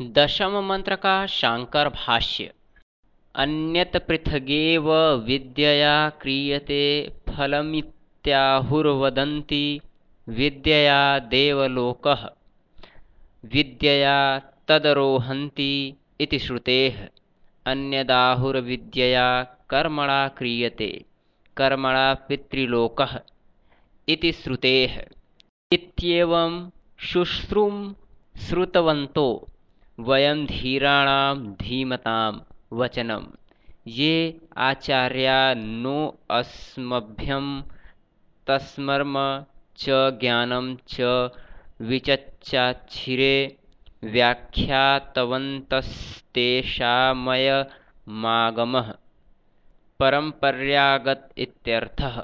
दशम मंत्र का शांकर भाष्य। अन्यत् पृथगेव विद्यया क्रियते फलमित्याहुर्वदन्ति विद्यया देवलोकः विद्यया तदरोहन्ति इति श्रुतेः। अन्यदाहुर्विद्यया कर्मणा क्रियते कर्मणा पितृलोकः इति श्रुतेः। इत्येवं शुश्रूं श्रुतवन्तो वयं धीराणां धीमतां वचनं ये आचार्या नो अस्मभ्यं तस्मर्म च ज्ञानं च विचच्चाच्छिरे व्याख्यातवन्तस्तेषामयमागमः परम्पर्यागत इत्यर्थः।